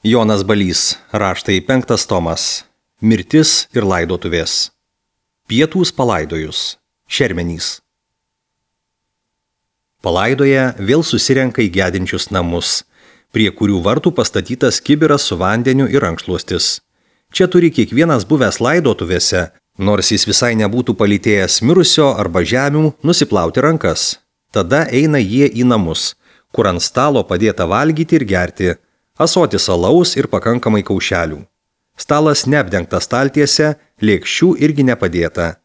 Jonas Balys, raštai 5 tomas. Mirtis ir laidotuvės. Pietūs palaidojus. Šermenys. Palaidoje vėl susirenka į gedinčius namus, prie kurių vartų pastatytas kibiras su vandeniu ir rankšluostis. Čia turi kiekvienas buvęs laidotuvėse, nors jis visai nebūtų palytėjęs mirusio arba žemių, nusiplauti rankas. Tada eina jie į namus, kur ant stalo padėta valgyti ir gerti, ąsotis alaus ir pakankamai kaušelių. Stalas neapdengtas staltiese, lėkščių irgi nepadėta.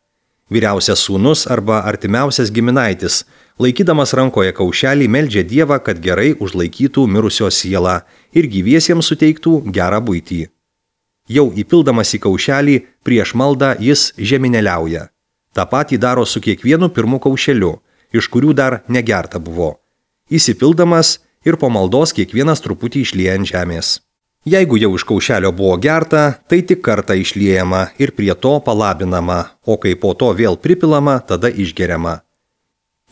Vyriausias sūnus arba artimiausias giminaitis, laikydamas rankoje kaušelį, meldžia Dievą, kad gerai užlaikytų mirusio sielą ir gyviesiems suteiktų gerą buitį. Jau įpildamas į kaušelį, prieš maldą jis žemineliauja. Ta patį daro su kiekvienu pirmu kaušeliu, iš kurių dar negerta buvo. Įsipildamas ir po maldos kiekvienas truputį išlieja ant žemės. Jeigu jau iš kaušelio buvo gerta, tai tik kartą išliejama ir prie to palabinama, o kai po to vėl pripilama, tada išgeriama.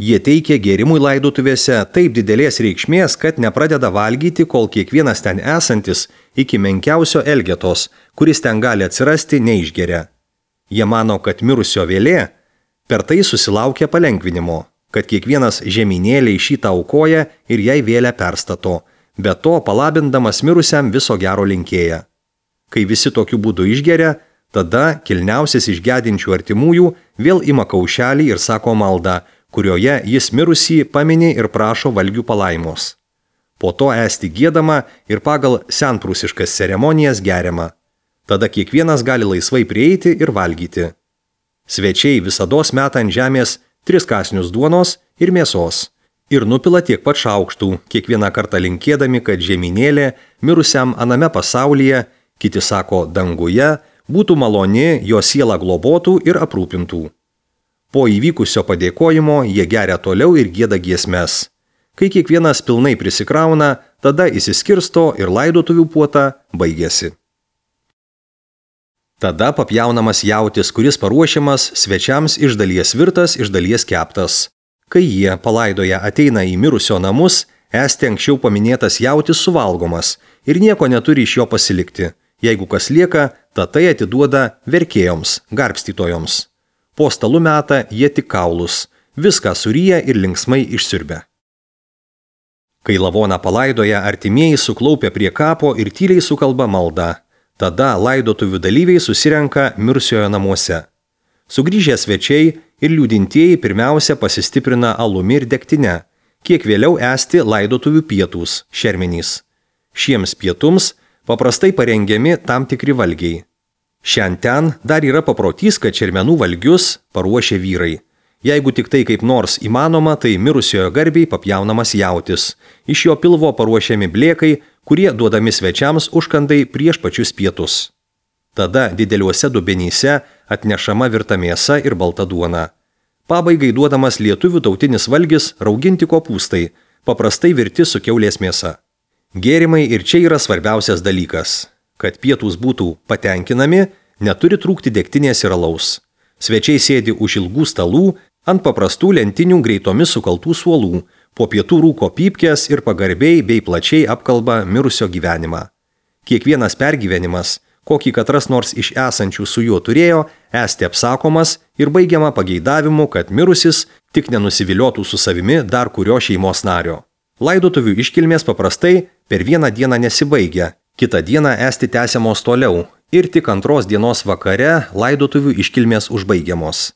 Jie teikia gėrimui laidotuvėse taip didelės reikšmės, kad nepradeda valgyti, kol kiekvienas ten esantis iki menkiausio elgetos, kuris ten gali atsirasti, neišgeria. Jie mano, kad mirusio vėlė per tai susilaukia palengvinimo, kad kiekvienas žeminėliai šitą aukoja ir jai vėlę perstato, be to palabindamas mirusiam viso gero linkėja. Kai visi tokiu būdu išgeria, tada kilniausias iš gedinčių artimųjų vėl ima kaušelį ir sako maldą, kurioje jis mirusį pamini ir prašo valgių palaimos. Po to esti giedama ir pagal senprūsiškas ceremonijas geriama. Tada kiekvienas gali laisvai prieiti ir valgyti. Svečiai visados meta ant žemės 3 kąsnius duonos ir mėsos ir nupila tiek pat šaukštų, kiekvieną kartą linkėdami, kad žeminėlė mirusiam aname pasaulyje, kiti sako danguje, būtų maloni, jo sielą globotų ir aprūpintų. Po įvykusio padėkojimo jie geria toliau ir gieda giesmes. Kai kiekvienas pilnai prisikrauna, tada išsiskirsto ir laidotuvių puota baigėsi. Tada papjaunamas jautis, kuris paruošiamas svečiams iš dalies virtas, iš dalies keptas. Kai jie palaidoje ateina į mirusio namus, esti anksčiau paminėtas jautis suvalgomas ir nieko neturi iš jo pasilikti. Jeigu kas lieka, tai atiduoda verkėjoms, garbstytojoms. Po stalu meta jie tik kaulus, viską suryja ir linksmai išsiurbia. Kai lavoną palaidoje, artimieji suklaupia prie kapo ir tyliai sukalba maldą. Tada laidotuvių dalyviai susirenka mirusiojo namuose. Sugrįžę svečiai ir liūdintieji pirmiausia pasistiprina alumi ir degtine, kiek vėliau esti laidotuvių pietūs, šermenys. Šiems pietums paprastai parengiami tam tikri valgiai. Šiandien dar yra paprotys, kad šermenų valgius paruošia vyrai. Jeigu tik tai kaip nors įmanoma, tai mirusiojo garbiai papjaunamas jautis. Iš jo pilvo paruošiami blėkai, kurie duodami svečiams užkandai prieš pačius pietus. Tada dideliuose dubenyse atnešama virta mėsa ir balta duona. Pabaigai duodamas lietuvių tautinis valgis rauginti kopūstai, paprastai virti su kiaulės mėsa. Gėrimai ir čia yra svarbiausias dalykas. Kad pietūs būtų patenkinami, neturi trūkti degtinės ir alaus. Svečiai sėdi už ilgų stalų, ant paprastų lentinių greitomis sukaltų suolų, po pietų rūko pypkės ir pagarbiai bei plačiai apkalba mirusio gyvenimą. Kiekvienas pergyvenimas, kokį katras nors iš esančių su juo turėjo, esti apsakomas ir baigiama pageidavimu, kad mirusis tik nenusiviliotų su savimi dar kurio šeimos nario. Laidotuvių iškilmės paprastai per vieną dieną nesibaigia, kitą dieną esti tęsiamos toliau ir tik 2 dienos vakare laidotuvių iškilmės užbaigiamos.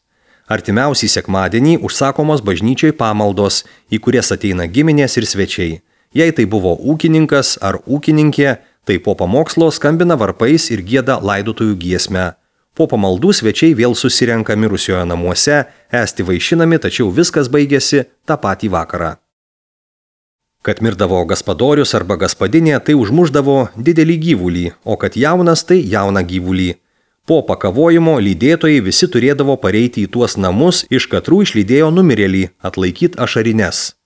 Artimiausiai sekmadienį užsakomos bažnyčiai pamaldos, į kurias ateina giminės ir svečiai. Jei tai buvo ūkininkas ar ūkininkė, tai po pamokslo skambina varpais ir gieda laidotuvių giesmę. Po pamaldų svečiai vėl susirenka mirusiojo namuose, esti vaišinami, tačiau viskas baigėsi tą patį vakarą. Kad mirdavo gaspadorius arba gaspadinė, tai užmuždavo didelį gyvulį, o kad jaunas, tai jauną gyvulį. Po pakavojimo lydėtojai visi turėdavo pareiti į tuos namus, iš katrų išlydėjo numirėlį, atlaikyti ašarines.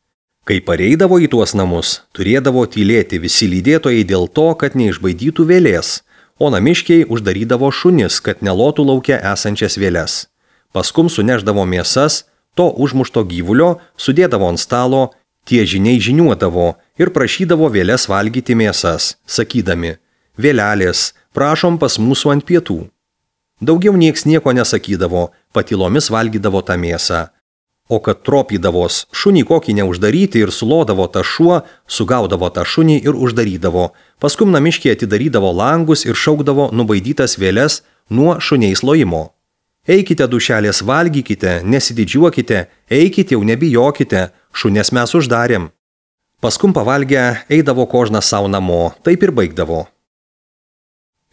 Kai pareidavo į tuos namus, turėdavo tylėti visi lydėtojai dėl to, kad neišbaidytų vėlės, o namiškiai uždarydavo šunis, kad nelotų lauke esančias vėles. Paskum suneždavo mėsas, to užmušto gyvulio, sudėdavo ant stalo, tie žiniai žiniuodavo ir prašydavo vėles valgyti mėsas, sakydami: vėlelės, prašom pas mūsų ant pietų. Daugiau nieks nieko nesakydavo, patylomis valgydavo tą mėsą. O kad tropydavos, šunį kokį neuždaryti ir sulodavo tą šuo, sugaudavo tą šunį ir uždarydavo. Paskum namiškiai atidarydavo langus ir šaukdavo nubaidytas vėles nuo šuniais lojimo. Eikite dušelės, valgykite, nesididžiuokite, eikite jau nebijokite, šunės mes uždarėm. Paskum pavalgę eidavo kožnas savo namo, taip ir baigdavo.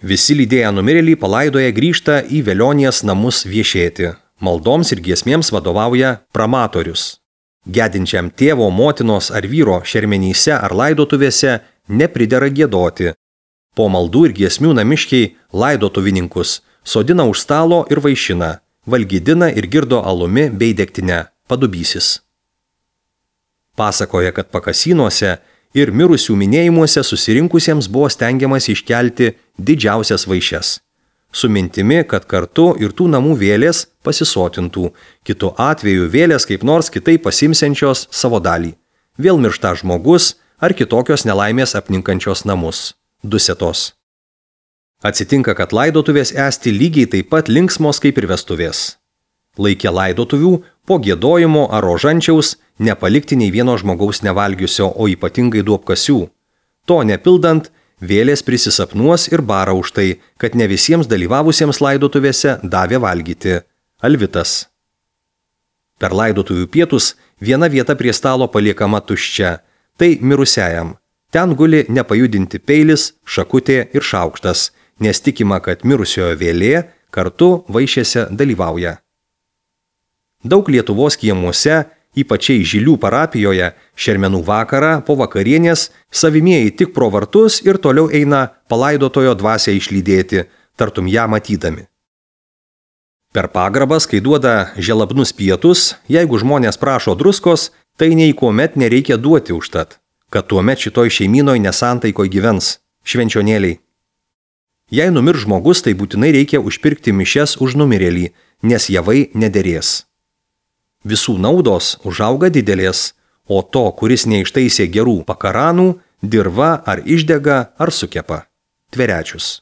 Visi lydėję numirėlį palaidoje grįžta į velionės namus viešėti. Maldoms ir giesmėms vadovauja pramatorius. Gedinčiam tėvo, motinos ar vyro šermenyse ar laidotuvėse nepridera giedoti. Po maldų ir giesmių namiškiai laidotuvininkus sodina už stalo ir vaišina, valgydina ir girdo alumi bei degtine, padubysis. Pasakoja, kad pakasynuose ir mirusių minėjimuose susirinkusiems buvo stengiamas iškelti didžiausias vaišes. Su mintimi, kad kartu ir tų namų vėlės pasisotintų, kitu atveju vėlės kaip nors kitaip pasimsiančios savo dalį. Vėl miršta žmogus ar kitokios nelaimės apninkančios namus. Dusetos. Atsitinka, kad laidotuvės esti lygiai taip pat linksmos kaip ir vestuvės. Laikė laidotuvių po giedojimo ar rožančiaus nepalikti nei vieno žmogaus nevalgiusio, o ypatingai duobkasių. To nepildant, vėlės prisisapnuos ir bara už tai, kad ne visiems dalyvavusiems laidotuvėse davė valgyti. Alvitas. Per laidotuvių pietus viena vieta prie stalo paliekama tuščia, tai mirusiajam. Ten guli nepajudinti peilis, šakutė ir šaukštas, nes tikima, kad mirusiojo vėlė kartu vaišėse dalyvauja. Daug Lietuvos kiemuose, ypačiai Žilių parapijoje, šermenų vakarą po vakarienės savimieji tik pro vartus ir toliau eina palaidotojo dvasią išlydėti, tartum ją matydami. Per pagrabas, kai duoda želabnus pietus, jeigu žmonės prašo druskos, tai nei kuomet nereikia duoti užtat, kad tuomet šitoj šeimynoj nesantaikoj gyvens, švenčionėliai. Jei numir žmogus, tai būtinai reikia užpirkti mišias už numirėlį, nes javai nederės. Visų naudos užauga didelės, o to, kuris neištaisė gerų pakaranų, dirva ar išdega ar sukepa. Tverečius.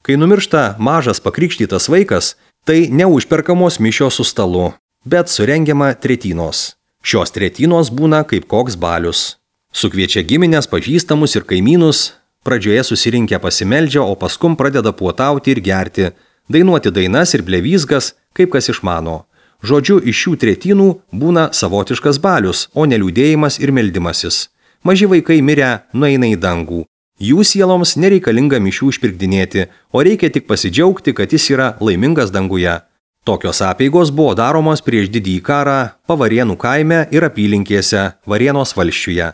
Kai numiršta mažas pakrikštytas vaikas, tai neužperkamos mišios su stalu, bet surengiama tretynos. Šios tretynos būna kaip koks balius. Sukviečia giminės, pažįstamus ir kaimynus, pradžioje susirinkę pasimeldžia, o paskum pradeda puotauti ir gerti, dainuoti dainas ir blevysgas, kaip kas išmano. Žodžiu, iš šių tretynų būna savotiškas balius, o ne liūdėjimas ir meldimasis. Maži vaikai mirę nueina į dangų. Jų sieloms nereikalinga mišių išpirkdinėti, o reikia tik pasidžiaugti, kad jis yra laimingas danguje. Tokios apeigos buvo daromos prieš didįjį karą Pavarėnų kaime ir apylinkėse Varėnos valsčiuje.